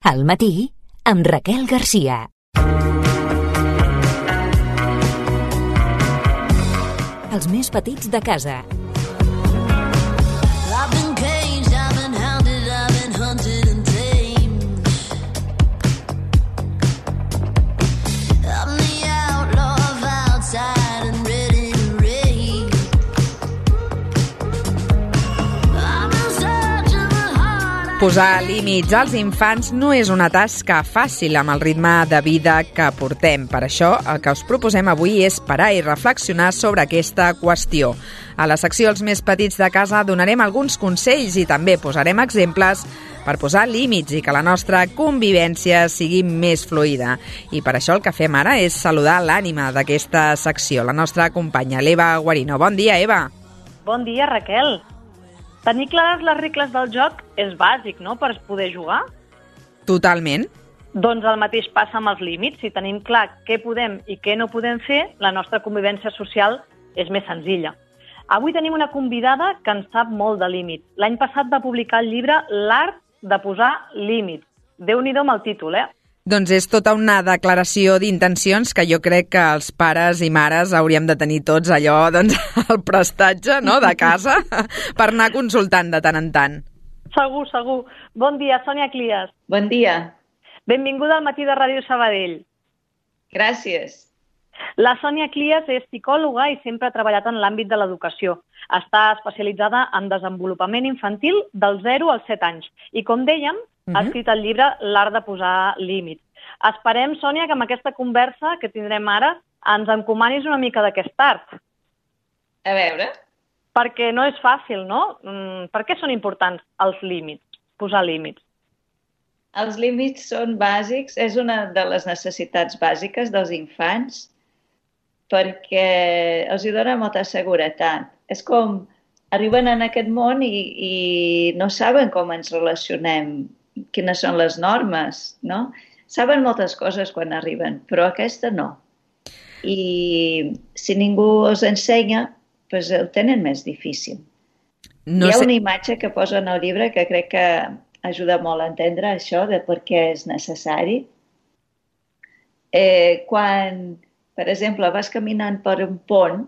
Al matí, amb Raquel Garcia. Els més petits de casa. Posar límits als infants no és una tasca fàcil amb el ritme de vida que portem. Per això, el que us proposem avui és parar i reflexionar sobre aquesta qüestió. A la secció Els més petits de casa donarem alguns consells i també posarem exemples per posar límits i que la nostra convivència sigui més fluida. I per això el que fem ara és saludar l'ànima d'aquesta secció, la nostra companya, l'Eva Guarino. Bon dia, Eva. Bon dia, Raquel. Tenir clares les regles del joc és bàsic, no?, per poder jugar. Totalment. Doncs el mateix passa amb els límits. Si tenim clar què podem i què no podem fer, la nostra convivència social és més senzilla. Avui tenim una convidada que en sap molt de límits. L'any passat va publicar el llibre L'art de posar límits. Déu-n'hi-do amb el títol, Doncs és tota una declaració d'intencions que jo crec que els pares i mares hauríem de tenir tots allò, doncs, el prestatge, no?, de casa per anar consultant de tant en tant. Segur, segur. Bon dia, Sònia Clias. Bon dia. Benvinguda al matí de Ràdio Sabadell. Gràcies. La Sònia Clias és psicòloga i sempre ha treballat en l'àmbit de l'educació. Està especialitzada en desenvolupament infantil dels 0 als 7 anys. I, com dèiem, ha escrit el llibre L'art de posar límits. Esperem, Sònia, que amb aquesta conversa que tindrem ara ens encomanis una mica d'aquest art. A veure. Perquè no és fàcil, no? Per què són importants els límits, posar límits? Els límits són bàsics, és una de les necessitats bàsiques dels infants perquè els hi dona molta seguretat. És com arriben en aquest món i no saben com ens relacionem, quines són les normes, no? Saben moltes coses quan arriben, però aquesta no. I si ningú els ensenya, doncs ho tenen més difícil. Hi ha una imatge que posa en el llibre que crec que ajuda molt a entendre això de per què és necessari. Quan, per exemple, vas caminant per un pont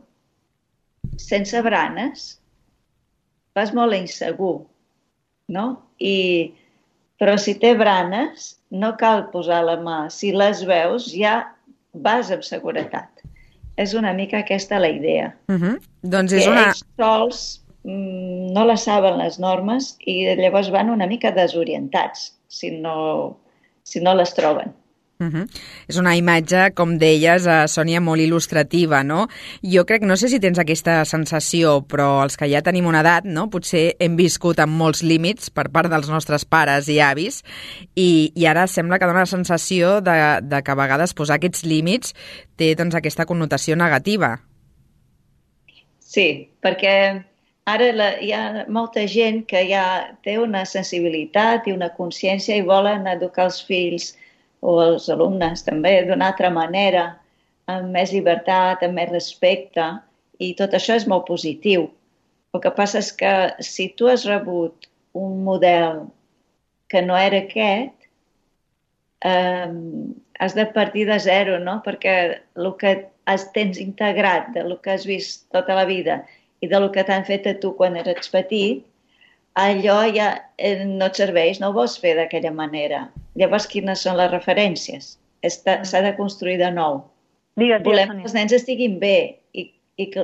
sense branes, vas molt insegur, no? Però si té branes, no cal posar la mà. Si les veus, ja vas amb seguretat. És una mica aquesta la idea. Doncs és una... Ells sols no la saben les normes i llavors van una mica desorientats si no les troben. És una imatge, com deies, Sònia, molt il·lustrativa, no? Jo crec, no sé si tens aquesta sensació, però els que ja tenim una edat, no?, potser hem viscut amb molts límits per part dels nostres pares i avis i ara sembla que dona la sensació de que a vegades posar aquests límits té, doncs, aquesta connotació negativa. Sí, perquè ara hi ha molta gent que ja té una sensibilitat i una consciència i volen educar els fills o els alumnes també d'una altra manera, amb més llibertat, amb més respecte, i tot això és molt positiu. El que passa és que si tu has rebut un model que no era aquest, has de partir de zero, no? Perquè el que tens integrat del que has vist tota la vida i del que t'han fet a tu quan eres petit, allò ja no et serveix, no ho vols fer d'aquella manera. Llavors, quines són les referències? S'ha de construir de nou. Volem que els nens estiguin bé,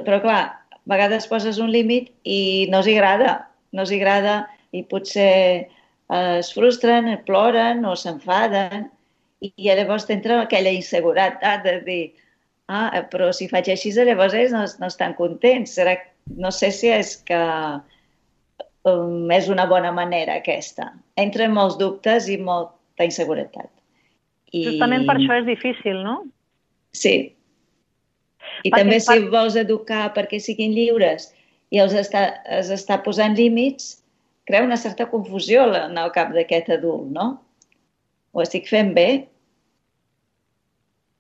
però clar, a vegades poses un límit i no els agrada i potser es frustren, ploren o s'enfaden i llavors t'entra aquella inseguretat de dir però si faig així llavors ells no estan contents. No sé si és que és una bona manera aquesta. Entren molts dubtes i molta inseguretat. Justament per això és difícil, no? Sí. I també si vols educar perquè siguin lliures i els està posant límits, crea una certa confusió en el cap d'aquest adult, no? Ho estic fent bé?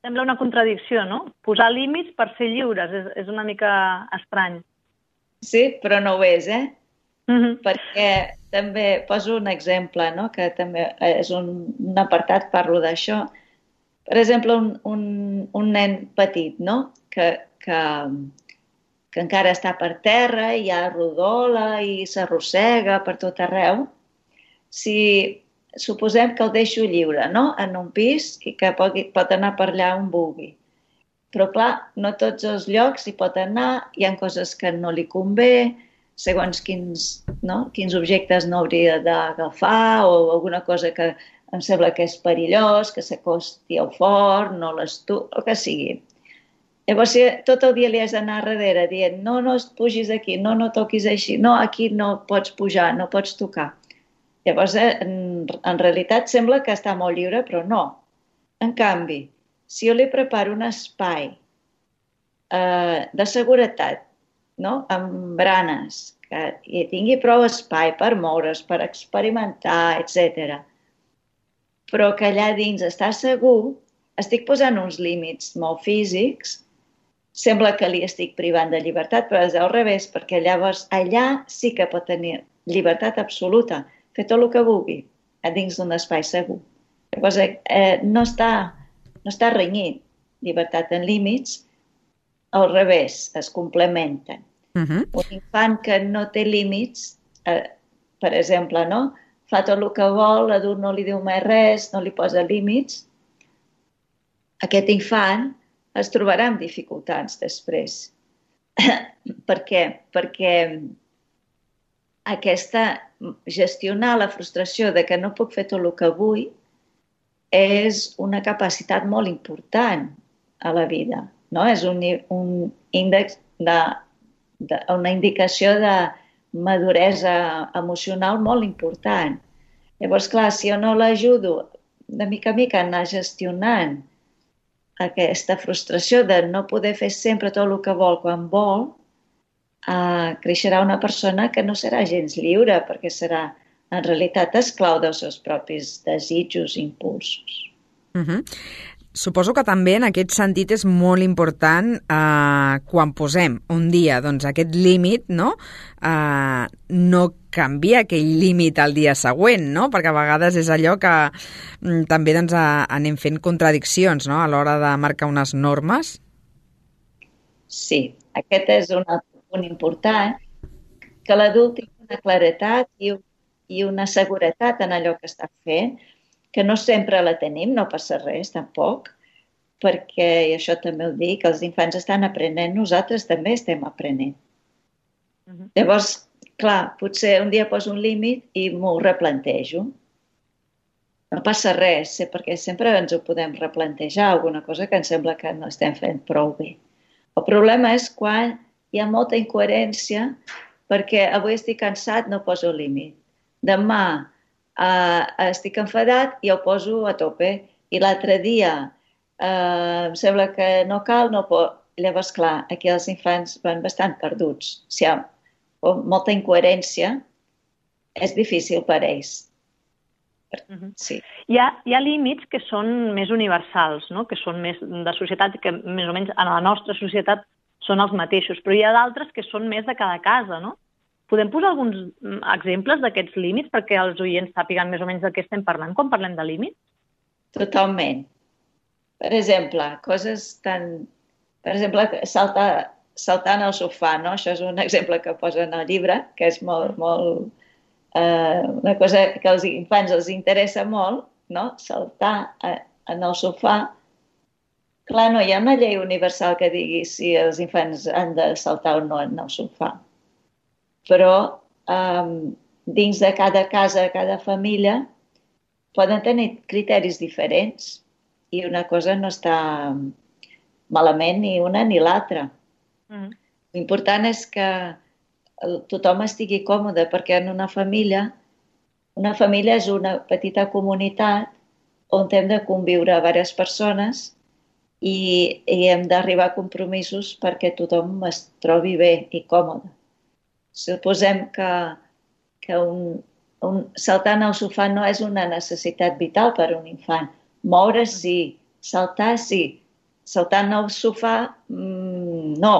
Sembla una contradicció, no? Posar límits per ser lliures és una mica estrany. Sí, però no ho és, perquè també poso un exemple, no? Que també és un apartat, parlo d'això. Per exemple, un nen petit, no? Que encara està per terra, i ja rodola i s'arrossega per tot arreu. Si suposem que el deixo lliure, no? En un pis, i que pot anar per allà on vulgui. Però, clar, no tots els llocs hi pot anar, hi ha coses que no li convé, segons quins objectes no hauria d'agafar, o alguna cosa que em sembla que és perillós, que s'acosti al forn, no el que sigui. Llavors, si tot el dia li has d'anar darrere dient no pugis aquí, no toquis així, no, aquí no pots pujar, no pots tocar. Llavors, en realitat sembla que està molt lliure, però no. En canvi, si jo li preparo un espai de seguretat, no? Amb branes, que tingui prou espai per moure's, per experimentar, etc. Però que allà dins està segur, estic posant uns límits molt físics, sembla que li estic privant de llibertat, però és al revés, perquè llavors allà sí que pot tenir llibertat absoluta, fer tot el que vulgui, a dins d'un espai segur. Llavors no està renyit, llibertat en límits, al revés, es complementen. Un infant que no té límits, per exemple, no? Fa tot el que vol, l'adult no li diu mai res, no li posa límits, aquest infant es trobarà amb dificultats després. Per què? Perquè gestionar la frustració de que no puc fer tot el que vull és una capacitat molt important a la vida, no? És un índex una indicació de maduresa emocional molt important. Llavors, clar, si jo no l'ajudo de mica en mica a anar gestionant aquesta frustració de no poder fer sempre tot el que vol quan vol, creixerà una persona que no serà gens lliure, perquè serà, en realitat, esclau dels seus propis desitjos i impulsos. Suposo que també en aquest sentit és molt important quan posem un dia aquest límit, no canvia aquell límit al dia següent, no? Perquè a vegades és allò que també anem fent contradiccions, no? A l'hora de marcar unes normes. Sí, aquest és un punt important, que l'adult tingui una claredat i una seguretat en allò que està fent, que no sempre la tenim, no passa res, tampoc, perquè, i això també ho dic, els infants estan aprenent, nosaltres també estem aprenent. Llavors, clar, potser un dia poso un límit i m'ho replantejo. No passa res, perquè sempre ens ho podem replantejar, alguna cosa que ens sembla que no estem fent prou bé. El problema és quan hi ha molta incoherència, perquè avui estic cansat, no poso límit. Demà estic enfadat i ho poso a tope. I l'altre dia em sembla que no cal, no pot. Llavors, clar, aquí els infants van bastant perduts. Si hi ha molta incoherència, és difícil per ells. Sí. Hi ha límits que són més universals, no? Que són més de societat, que més o menys en la nostra societat són els mateixos, però hi ha d'altres que són més de cada casa, no? Podem posar alguns exemples d'aquests límits perquè els oients sàpiguen més o menys de què estem parlant quan parlem de límits? Totalment. Per exemple, saltant al sofà, no? Això és un exemple que posa en el llibre, que és molt una cosa que als infants els interessa molt, no? Saltar en el sofà. Clar, no hi ha una llei universal que digui si els infants han de saltar o no en el sofà. Però dins de cada casa, cada família, poden tenir criteris diferents i una cosa no està malament ni una ni l'altra. L'important és que tothom estigui còmode, perquè en una família és una petita comunitat on hem de conviure diverses persones i hem d'arribar a compromisos perquè tothom es trobi bé i còmode. Suposem que saltar al sofà no és una necessitat vital per a un infant. Moure's sí, saltar sí. Saltant al sofà, no,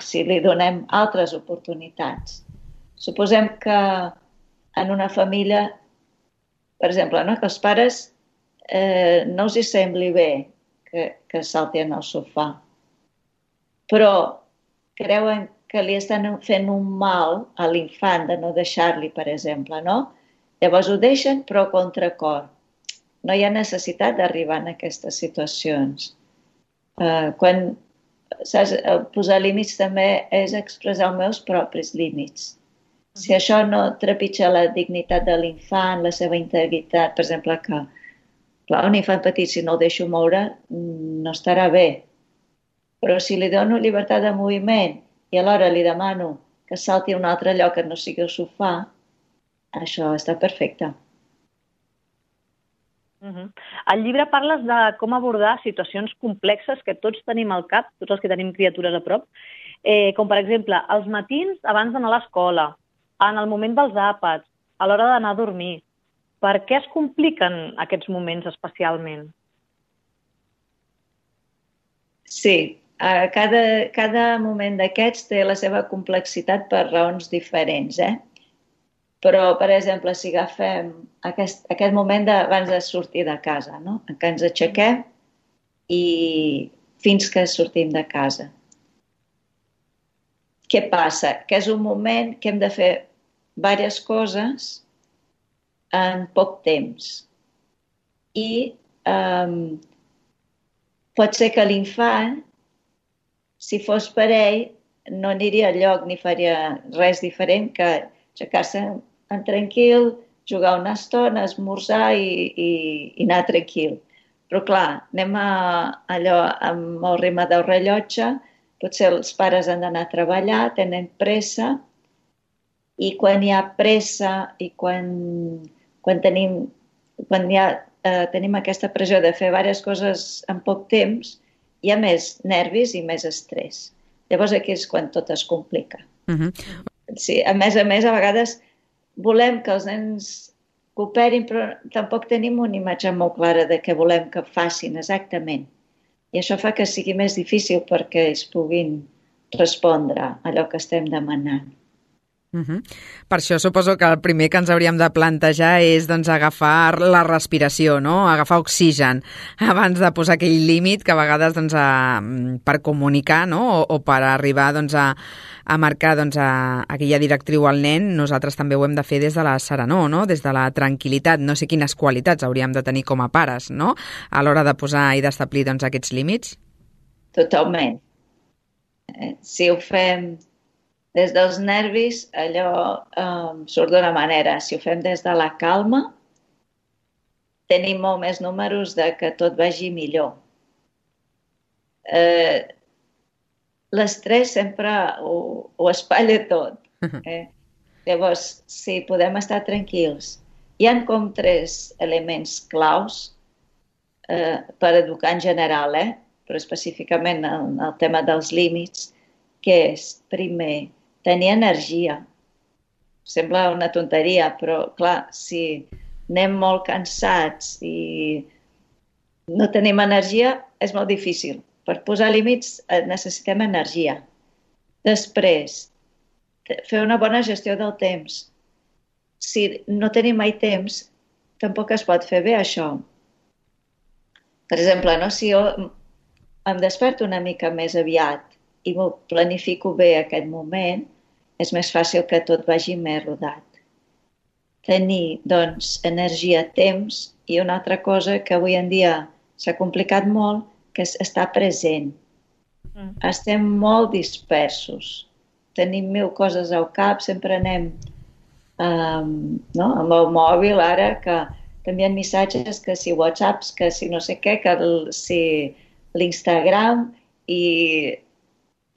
si li donem altres oportunitats. Suposem que en una família, per exemple, no? Que els pares no us hi sembli bé que saltin al sofà, però creuen que li estan fent un mal a l'infant de no deixar-li, per exemple, no? Llavors ho deixen, però a contracor. No hi ha necessitat d'arribar en aquestes situacions. Saps, posar límits també és expressar els meus propis límits. Si això no trepitja la dignitat de l'infant, la seva integritat, per exemple, que clar, un infant petit, si no el deixo moure, no estarà bé. Però si li dono llibertat de moviment i alhora li demano que salti a un altre lloc que no sigui el sofà, això està perfecte. Al llibre parles de com abordar situacions complexes que tots tenim al cap, tots els que tenim criatures a prop, com per exemple els matins abans d'anar a l'escola, en el moment dels àpats, a l'hora d'anar a dormir. Per què es compliquen aquests moments especialment? Sí, cada moment d'aquests té la seva complexitat per raons diferents, Però, per exemple, si agafem aquest moment abans de sortir de casa, no? Que ens aixequem i fins que sortim de casa. Què passa? Que és un moment que hem de fer diverses coses en poc temps. I pot ser que l'infant, si fos per ell, no aniria enlloc ni faria res diferent que aixecar-se en tranquil, jugar una estona, esmorzar i anar tranquil. Però clar, anem allò amb el ritme del rellotge, potser els pares han d'anar a treballar, tenen pressa, i quan hi ha pressa i quan tenim aquesta pressió de fer diverses coses en poc temps, hi ha més nervis i més estrès. Llavors aquí és quan tot es complica. Sí, a més, a vegades volem que els nens cooperin, però tampoc tenim una imatge molt clara de què volem que facin exactament. I això fa que sigui més difícil perquè ells puguin respondre a allò que estem demanant. Per això suposo que el primer que ens hauríem de plantejar és agafar la respiració, no? Agafar oxigen abans de posar aquell límit que a vegades per comunicar, no? o per arribar a marcar aquella directriu al nen, nosaltres també ho hem de fer des de la serenor, no? Des de la tranquil·litat. No sé quines qualitats hauríem de tenir com a pares, no? A l'hora de posar i d'establir aquests límits. Totalment. Si ho fem des dels nervis, allò surt d'una manera. Si ho fem des de la calma, tenim molt més números de que tot vagi millor. L'estrès sempre ho espatlla tot. Llavors, si podem estar tranquils. Hi ha com 3 elements claus per educar en general, però específicament en el tema dels límits, que és, primer, tenir energia. Sembla una tonteria, però clar, si anem molt cansats i no tenim energia, és molt difícil. Per posar límits necessitem energia. Després, fer una bona gestió del temps. Si no tenim mai temps, tampoc es pot fer bé això. Per exemple, si jo em desperto una mica més aviat i m'ho planifico bé aquest moment, és més fàcil que tot vagi més rodat. Tenir, doncs, energia, temps i una altra cosa que avui en dia s'ha complicat molt, que és estar present. Estem molt dispersos. Tenim 1000 coses al cap, sempre anem amb el mòbil ara, que t'envien missatges, que si WhatsApps, que si no sé què, que si l'Instagram, i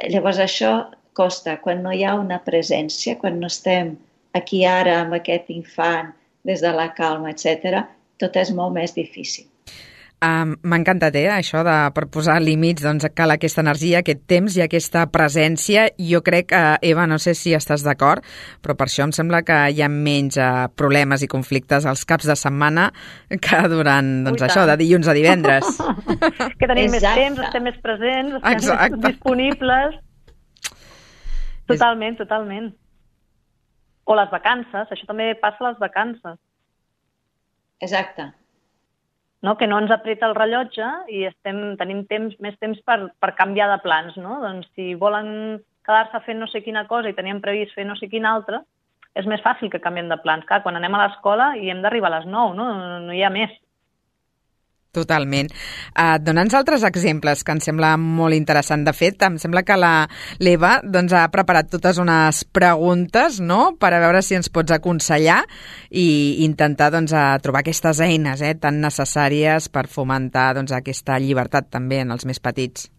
llavors això costa. Quan no hi ha una presència, quan no estem aquí ara amb aquest infant des de la calma, etc., tot és molt més difícil. M'ha encantat, això de per posar límits, cal aquesta energia, aquest temps i aquesta presència. Jo crec, Eva, no sé si estàs d'acord, però per això em sembla que hi ha menys problemes i conflictes als caps de setmana que durant, això, de dilluns a divendres. Que tenim més temps, estem més presents, estem més disponibles. Totalment. O les vacances, això també passa a les vacances. Exacte. No? Que no ens apreta el rellotge i tenim més temps per canviar de plans. No? Doncs si volen quedar-se fent no sé quina cosa i teníem previst fer no sé quina altra, és més fàcil que canviem de plans. Clar, quan anem a l'escola i hem d'arribar a les 9, no hi ha més. Totalment. Dona'ns altres exemples que em sembla molt interessant. De fet, em sembla que l'Eva ha preparat totes unes preguntes, no?, per a veure si ens pots aconsellar i intentar trobar aquestes eines tan necessàries per fomentar aquesta llibertat també en els més petits.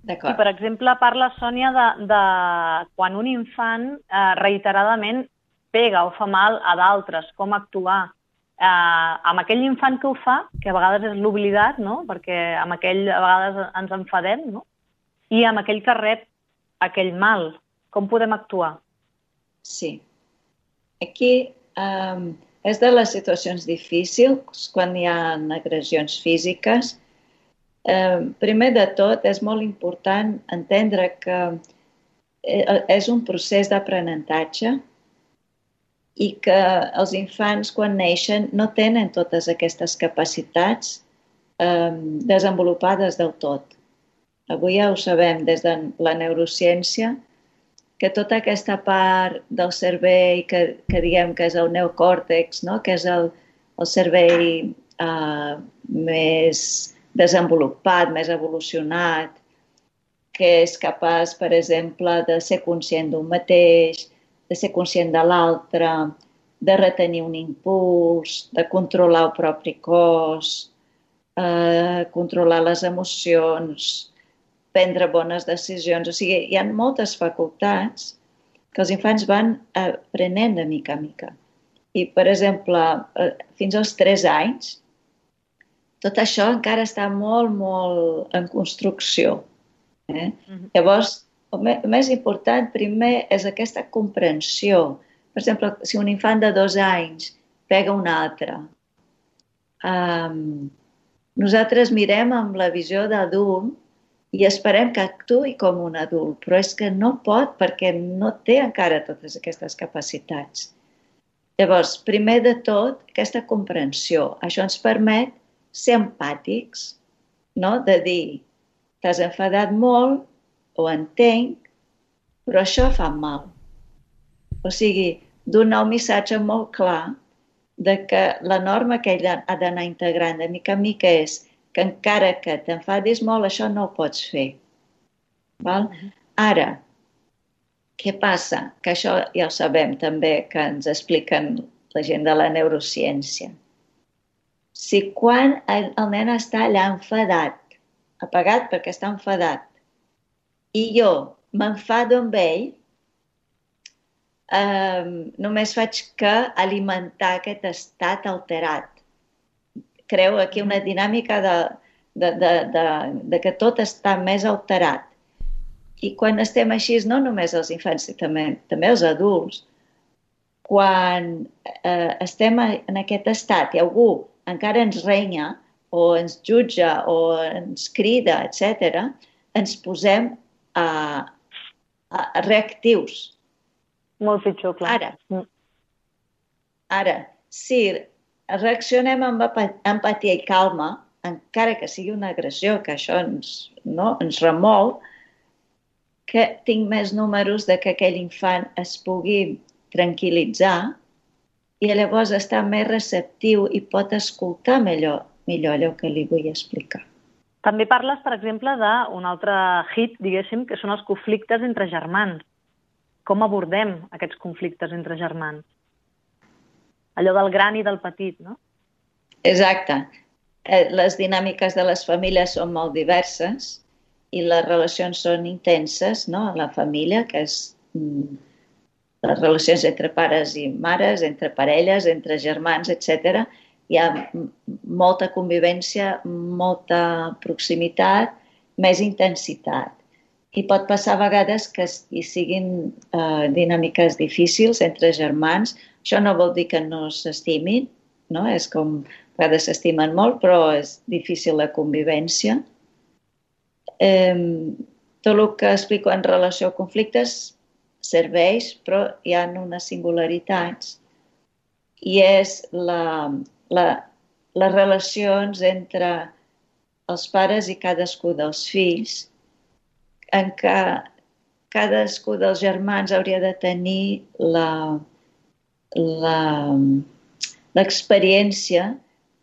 I, per exemple, parla, Sònia, de quan un infant reiteradament pega o fa mal a d'altres, com actuar. Amb aquell infant que ho fa, que a vegades és l'oblidat, no? Perquè amb aquell a vegades ens enfadem, no? I amb aquell que rep aquell mal, com podem actuar? Sí. Aquí és de les situacions difícils quan hi ha agressions físiques. Primer de tot, és molt important entendre que és un procés d'aprenentatge i que els infants, quan neixen, no tenen totes aquestes capacitats desenvolupades del tot. Avui ja ho sabem des de la neurociència, que tota aquesta part del cervell que diguem que és el neocòrtex, no? Que és el cervell més desenvolupat, més evolucionat, que és capaç, per exemple, de ser conscient d'un mateix, de ser conscient de l'altre, de retenir un impuls, de controlar el propi cos, controlar les emocions, prendre bones decisions. O sigui, hi ha moltes facultats que els infants van aprenent de mica en mica. I, per exemple, fins als 3 anys, tot això encara està molt, molt en construcció. Llavors, el més important, primer, és aquesta comprensió. Per exemple, si un infant de 2 anys pega un altre, nosaltres mirem amb la visió d'adult i esperem que actuï com un adult, però és que no pot perquè no té encara totes aquestes capacitats. Llavors, primer de tot, aquesta comprensió. Això ens permet ser empàtics, no? De dir, t'has enfadat molt, ho entenc, però això fa mal. O sigui, donar un missatge molt clar de que la norma que ell ha d'anar integrant de mica en mica és que encara que t'enfadis molt, això no ho pots fer. Val? Ara, què passa? Que això ja ho sabem també, que ens expliquen la gent de la neurociència. Si quan el nen està allà enfadat, apagat perquè està enfadat, i jo m'enfado amb ell, només faig que alimentar aquest estat alterat. Creu aquí una dinàmica de que tot està més alterat. I quan estem així, no només els infants, també els adults, quan estem en aquest estat i algú encara ens renya o ens jutja o ens crida, etc., ens posem reactius. Molt pitjor, clar. Ara, si reaccionem amb empatia i calma, encara que sigui una agressió, que això ens remou, que tinc més números de que aquell infant es pugui tranquil·litzar i llavors està més receptiu i pot escoltar millor allò que li vull explicar. També parles, per exemple, d'un altre hit, diguéssim, que són els conflictes entre germans. Com abordem aquests conflictes entre germans? Allò del gran i del petit, no? Exacte. Les dinàmiques de les famílies són molt diverses i les relacions són intenses, no? La família, que és les relacions entre pares i mares, entre parelles, entre germans, etc. Hi ha molta convivència, molta proximitat, més intensitat. I pot passar a vegades que hi siguin dinàmiques difícils entre germans. Això no vol dir que no s'estimin, no? És com, a vegades s'estimen molt, però és difícil la convivència. Tot el que explico en relació a conflictes serveis, però hi ha unes singularitats i és les relacions entre els pares i cadascú dels fills, en què cadascú dels germans hauria de tenir l'experiència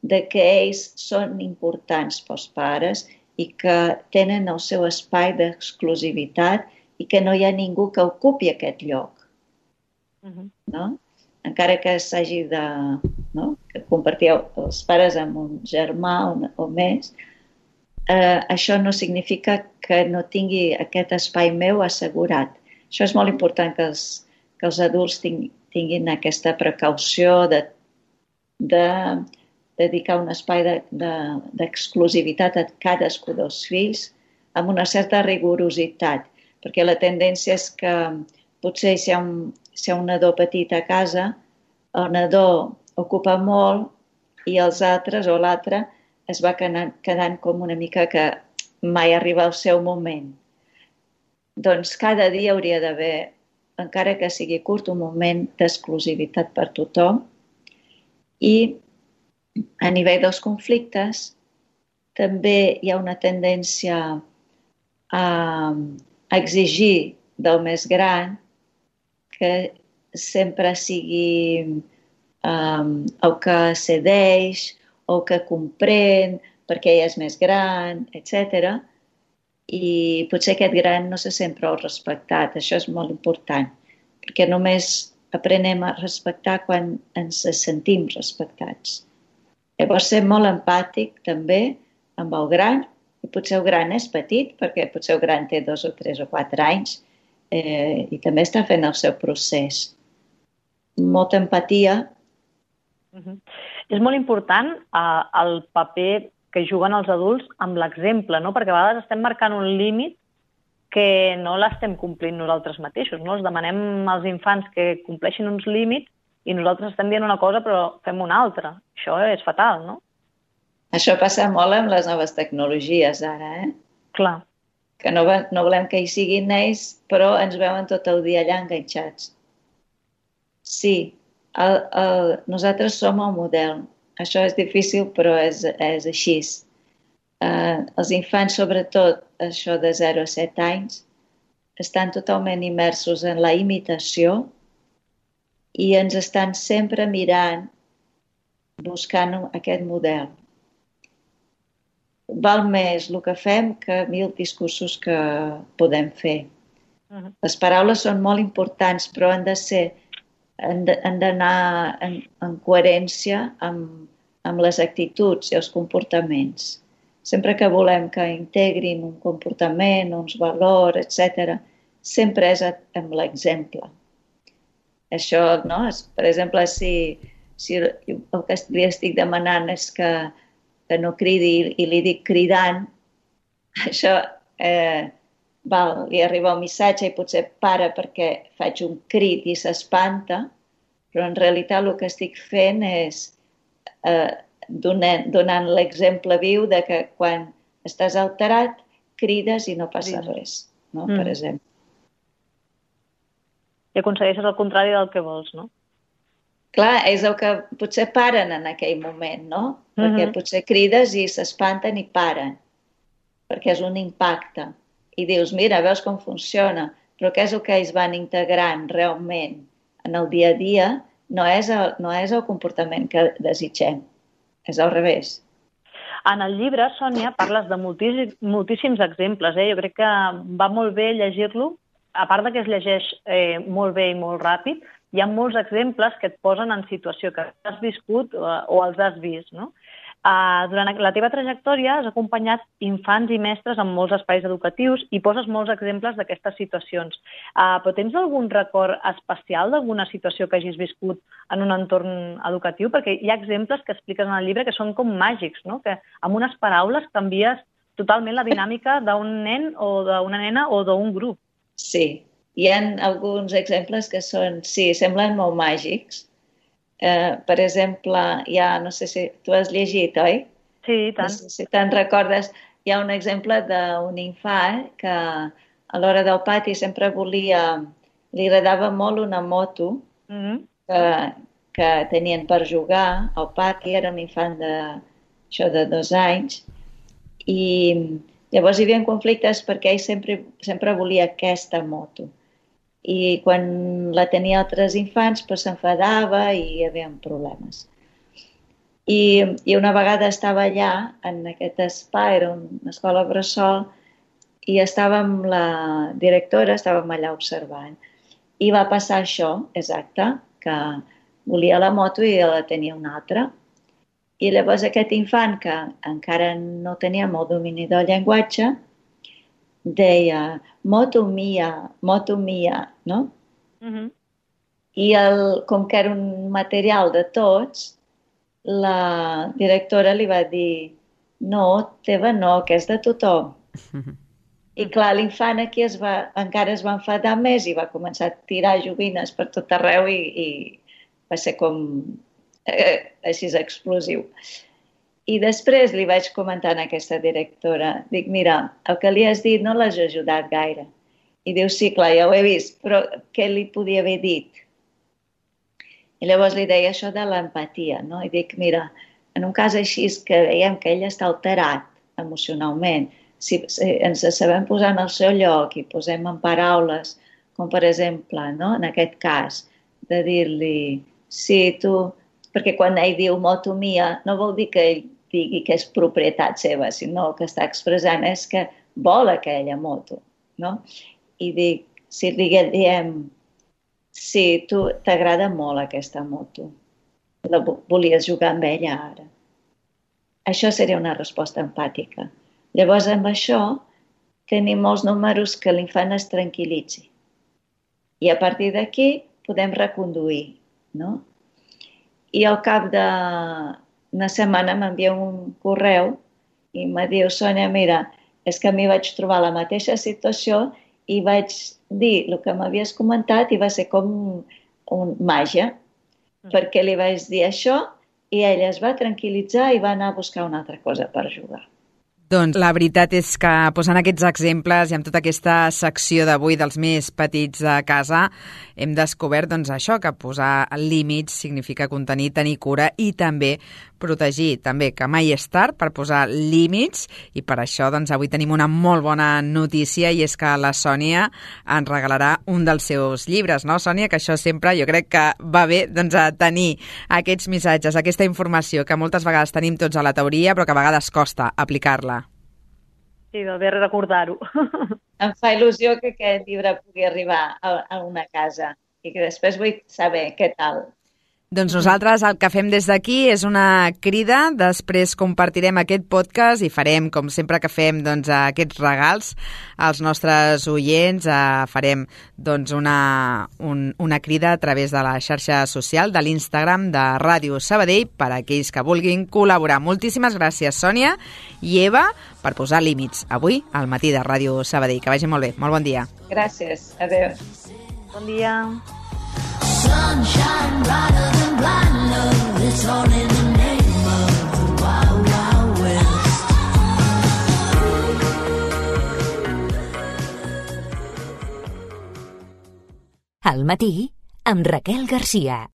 de que ells són importants pels pares i que tenen el seu espai d'exclusivitat i que no hi ha ningú que ocupi aquest lloc. No? Encara que s'hagi de que compartir els pares amb un germà o més, això no significa que no tingui aquest espai meu assegurat. Això és molt important que els adults tinguin aquesta precaució de dedicar un espai d'exclusivitat a cadascú dels fills amb una certa rigorositat, perquè la tendència és que potser si hi ha un nadó petit a casa, el nadó ocupa molt i els altres o l'altre es va quedant com una mica que mai arriba el seu moment. Doncs cada dia hauria d'haver, encara que sigui curt, un moment d'exclusivitat per tothom. I a nivell dels conflictes també hi ha una tendència a exigir del més gran que sempre sigui el que cedeix o que comprèn perquè ell és més gran, etc. I potser aquest gran no se sent prou respectat. Això és molt important, perquè només aprenem a respectar quan ens sentim respectats. Llavors, ser molt empàtic també amb el gran, i potser el gran és petit, perquè potser el gran té 2 o 3 o 4 anys i també està fent el seu procés. Molta empatia. És molt important el paper que juguen els adults amb l'exemple, no? Perquè a vegades estem marcant un límit que no l'estem complint nosaltres mateixos, no? Els demanem als infants que compleixin uns límits i nosaltres estem dient una cosa però fem una altra. Això és fatal, no? Això passa molt amb les noves tecnologies ara, Clar. Que no volem que hi siguin ells, però ens veuen tot el dia allà enganxats. Sí, nosaltres som el model. Això és difícil, però és així. Els infants, sobretot això de 0 a 7 anys, estan totalment immersos en la imitació i ens estan sempre mirant, buscant aquest model. Val més el que fem que 1000 discursos que podem fer. Les paraules són molt importants, però han d'anar en coherència amb les actituds i els comportaments. Sempre que volem que integrin un comportament, uns valors, etc., sempre és amb l'exemple. Això, no? Per exemple, si el que li estic demanant és que no cridi i li dic cridant, això li arriba un missatge i potser para perquè faig un crit i s'espanta, però en realitat el que estic fent és donant l'exemple viu de que quan estàs alterat crides i no passa res, no? Per exemple. I aconsegueixes el contrari del que vols, no? Clar, és el que potser paren en aquell moment, no? Perquè potser crides i s'espanten i paren, perquè és un impacte. I dius, mira, veus com funciona, però què és el que ells van integrant realment en el dia a dia? No és el comportament que desitgem, és al revés. En el llibre, Sònia, parles de moltíssims exemples. Jo crec que va molt bé llegir-lo, a part que es llegeix molt bé i molt ràpid, hi ha molts exemples que et posen en situació que has viscut o els has vist, no? Durant la teva trajectòria has acompanyat infants i mestres en molts espais educatius i poses molts exemples d'aquestes situacions. Però tens algun record especial d'alguna situació que hagis viscut en un entorn educatiu? Perquè hi ha exemples que expliques en el llibre que són com màgics, no? Que amb unes paraules canvies totalment la dinàmica d'un nen o d'una nena o d'un grup. Sí, hi ha alguns exemples que semblen molt màgics. Per exemple, no sé si tu has llegit, oi? Sí, i tant. No sé si te'n recordes, hi ha un exemple d'un infant que a l'hora del pati sempre volia li agradava molt una moto que tenien per jugar al parc, i era un infant de 2 anys, i llavors hi havia conflictes perquè ell sempre volia aquesta moto. I quan la tenia altres infants, doncs s'enfadava i hi havia problemes. I una vegada estava allà, en aquest espai, era una escola bressol, i estàvem la directora, estàvem allà observant. I va passar això, exacte, que volia la moto i la tenia una altra. I llavors aquest infant, que encara no tenia molt domini del llenguatge, deia moto mia, no? I com que era un material de tots, la directora li va dir no, teva no, que és de tothom. I clar, l'infant aquí encara es va enfadar més i va començar a tirar joguines per tot arreu i va ser com així explosiu. I després li vaig comentar a aquesta directora, dic, mira, el que li has dit no l'has ajudat gaire. I diu, sí, clar, ja ho he vist, però què li podia haver dit? I llavors li deia això de l'empatia, no? I dic, mira, en un cas així que veiem que ell està alterat emocionalment, si ens sabem posar en el seu lloc i posem en paraules, com per exemple, no? En aquest cas, de dir-li, sí, tu... Perquè quan ell diu moto mia, no vol dir que ell digui que és propietat seva, sinó que està expressant és que vol aquella moto, no? I dic, si li diem, sí, tu t'agrada molt aquesta moto, volies jugar amb ella ara. Això seria una resposta empàtica. Llavors, amb això, tenim molts números que l'infant es tranquil·litzi. I a partir d'aquí podem reconduir, no? I al cap d'una setmana m'envia un correu i me diu, Sònia, mira, és que a mi vaig trobar la mateixa situació i vaig dir el que m'havies comentat i va ser com un màgia, perquè li vaig dir això i ella es va tranquil·litzar i va anar a buscar una altra cosa per jugar. Doncs la veritat és que posant aquests exemples i amb tota aquesta secció d'avui dels més petits de casa hem descobert això, que posar límits significa contenir, tenir cura i també protegir, també que mai és tard per posar límits i per això avui tenim una molt bona notícia i és que la Sònia ens regalarà un dels seus llibres, no, Sònia? Que això sempre jo crec que va bé a tenir aquests missatges, aquesta informació que moltes vegades tenim tots a la teoria però que a vegades costa aplicar-la. Sí, va bé recordar-ho. Em fa il·lusió que aquest llibre pugui arribar a una casa i que després vull saber què tal. Doncs nosaltres el que fem des d'aquí és una crida, després compartirem aquest podcast i farem, com sempre que fem, aquests regals als nostres oients, farem una crida a través de la xarxa social de l'Instagram de Ràdio Sabadell per a aquells que vulguin col·laborar. Moltíssimes gràcies, Sònia i Eva, per posar límits avui al matí de Ràdio Sabadell. Que vagi molt bé. Molt bon dia. Gràcies. Adéu. Bon dia. Sunshine brighter than blind love. It's all in the name of the wild, wild west. Al matí amb Raquel Garcia.